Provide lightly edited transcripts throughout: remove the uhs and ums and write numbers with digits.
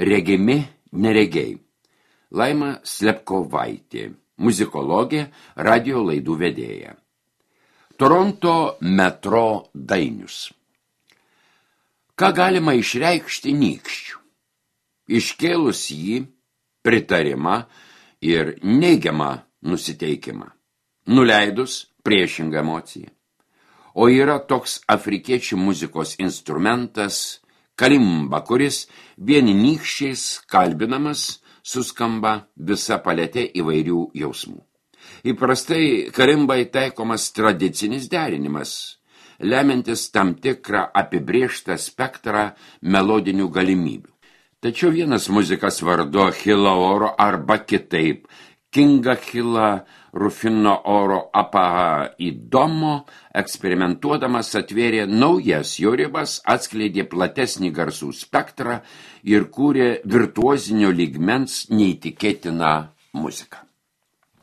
Regimi neregiai. Laima Slepkovaitė, muzikologė, radio laidų vedėja. Toronto metro dainius. Ką galima išreikšti nykščių? Iškėlus jį, pritarimą ir neigiamą nusiteikimą. Nuleidus priešingą emociją. O yra toks afrikiečių muzikos instrumentas kalimba, kuris vieni nykščiais kalbinamas suskamba visa paletė įvairių jausmų. Įprastai kalimbai taikomas tradicinis derinimas, lemiantis tam tikrą apibrėžtą spektrą melodinių galimybių. Tačiau vienas muzikas vardu Achila Oro arba kitaip Kinga Achila Rufino Oro Apaha Idomo eksperimentuodamas atvėrė naujas jo ribas, atskleidė platesnį garsų spektrą ir kūrė virtuozinio lygmens neįtikėtiną muziką.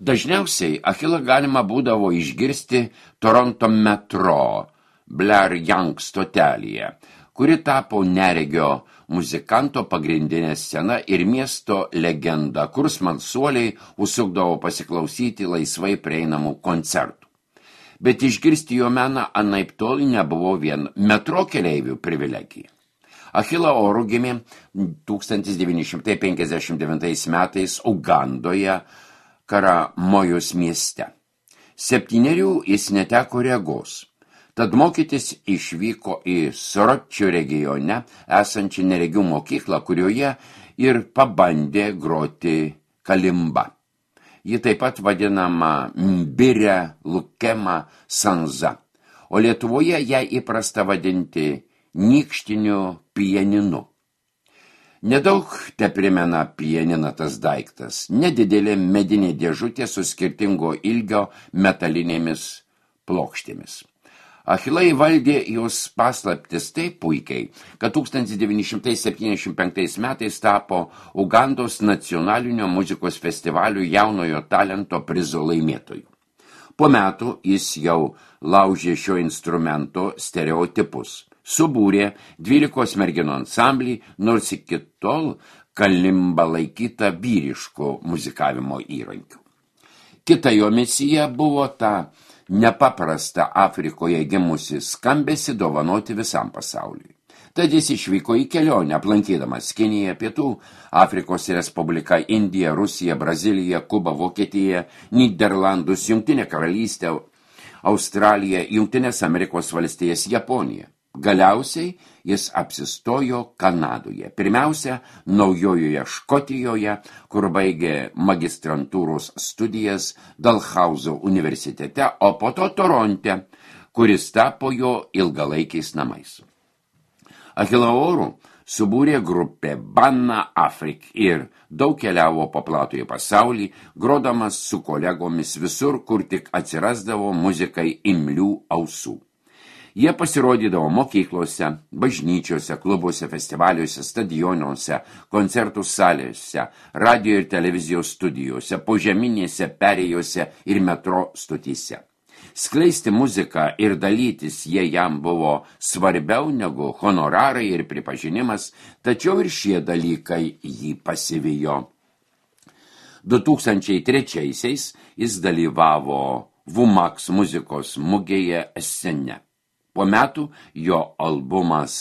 Dažniausiai Achilą galima būdavo išgirsti Toronto metro Blair Young stotelėje, kuri tapo neregio muzikanto pagrindinė scena ir miesto legenda, kur smalsuoliai užsukdavo pasiklausyti laisvai prieinamų koncertų. Bet išgirsti jo meną anaiptol nebuvo vien metro keleivių privilegija. Achila Oro gimė 1959 metais Ugandoje, Karamojos mieste. 7 jis neteko regos. Tad mokytis išvyko į Soročio regione esančią neregių mokyklą, kurioje ir pabandė groti kalimba. Ji taip pat vadinama Mbire Lukema Sanza, o Lietuvoje ją įprasta vadinti nykštiniu pianinu. Nedaug teprimena pianiną tas daiktas, nedidelė medinė dėžutė su skirtingo ilgio metalinėmis plokštėmis. Achila įvaldė jos paslaptis taip puikiai, kad 1975 metais tapo Ugandos nacionalinio muzikos festivalių jaunojo talento prizo laimėtoju. Po metų jis jau laužė šio instrumento stereotipus. Subūrė 12 merginų ansamblį, nors iki tol kalimba laikyta vyriško muzikavimo įrankiu. Kita jo misija buvo ta nepaprasta Afrikoje gimusi skambesį dovanoti visam pasauliui. Tad jis išvyko į kelionę, aplankydamas Kiniją, Pietų Afrikos Respubliką, Indiją, Rusiją, Braziliją, Kubą, Vokietiją, Nyderlandus, Jungtinę karalystę, Australiją, Jungtines Amerikos valstijas, Japoniją. Galiausiai jis apsistojo Kanadoje, pirmiausia Naujojoje Škotijoje, kur baigė magistrantūros studijas Dalhauzo universitete, o po to Toronte, kuris tapo jo ilgalaikiais namais. Achila Oru subūrė grupę Banna Afrik ir daug keliavo po platųjį pasaulį, grodamas su kolegomis visur, kur tik atsirasdavo muzikai imlių ausų. Jie pasirodydavo mokyklose, bažnyčiose, klubuose, festivaliuose, stadionuose, koncertų salėse, radio ir televizijos studijose, požeminėse perėjose ir metro stotyse. Skleisti muziką ir dalytis jie jam buvo svarbiau negu honorarai ir pripažinimas, tačiau ir šie dalykai jį pasivijo. 2003-aisiais jis dalyvavo Vumax muzikos mugėje Essene. Po metų jo albumas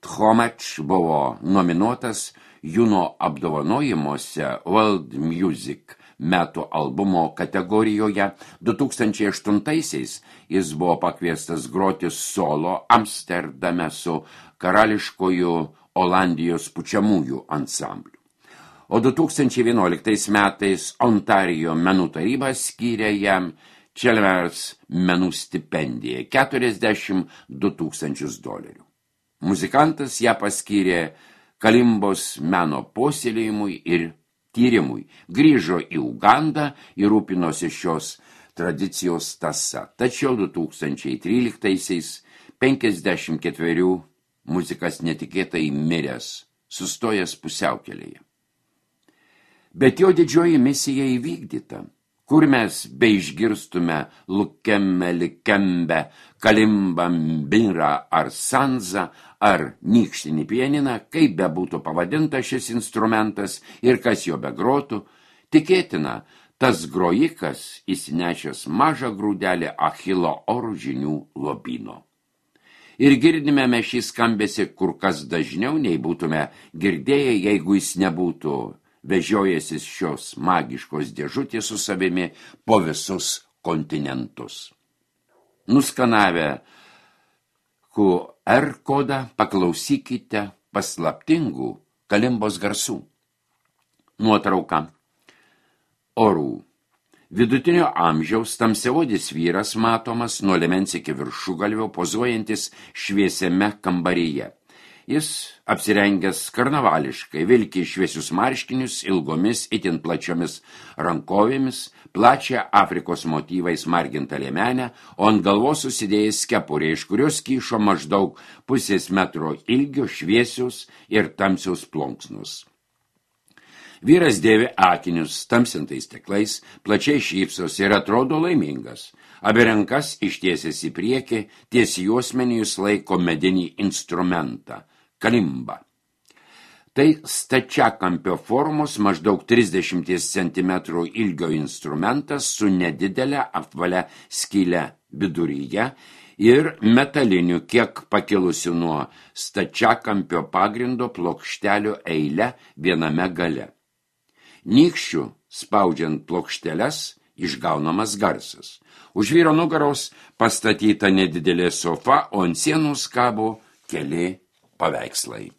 Tchomač buvo nominuotas Juno apdovanojimuose World Music metų albumo kategorijoje. 2008-aisiais jis buvo pakviestas groti solo Amsterdame su karališkoju Olandijos pučiamųjų ansambliu. O 2011 metais Ontario menų taryba skyrė jam Chelmers menų stipendiją $42,000. Muzikantas ją paskyrė kalimbos meno puoselėjimui ir tyrimui. Grįžo į Ugandą ir rūpinosi šios tradicijos tąsa. Tačiau 2013-aisiais 54 muzikas netikėtai miręs, sustojęs pusiaukelėje. Bet jo didžioji misija įvykdyta. Kur mes beišgirstume Lukemme, Likembe, Kalimba, Mbira ar Sanza, ar nykštinį pianiną, kaip be būtų pavadinta šis instrumentas ir kas jo begrotų, tikėtina, tas grojikas įsinešęs mažą grūdelį Achilo oružinių lobyno. Ir girdime mes šį skambesį kur kas dažniau, nei būtume girdėję, jeigu jis nebūtų vežiojęsis šios magiškos dėžutės su savimi po visus kontinentus. Nuskanavę QR kodą paklausykite paslaptingų kalimbos garsų. Nuotrauka. Orų. Vidutinio amžiaus tamsiaodis vyras matomas nuo liemens iki viršugalvio pozuojantis šviesiame kambaryje. Jis apsirengęs karnavališkai, vilki šviesius marškinius ilgomis itin plačiomis rankovėmis, plačią Afrikos motyvais margintą liemenę, o ant galvos susidėjęs kepurė, iš kurios kyšo maždaug 0,5 metro ilgio šviesius ir tamsius plunksnus. Vyras dėvi akinius tamsintais stiklais, plačiai šypsos ir atrodo laimingas. Abi rankas ištiesęs į priekį, ties juosmenį jis laiko medinį instrumentą – kalimbą. Tai stačiakampio formos maždaug 30 cm ilgio instrumentas su nedidelė apvalia skyle viduryje ir metaliniu kiek pakilusiu nuo stačiakampio pagrindo plokštelių eile viename gale. Nykščių, spaudžiant plokšteles, išgaunamas garsas. Už vyro nugaros pastatyta nedidelė sofa, o ant sienos kabo keli paveikslai.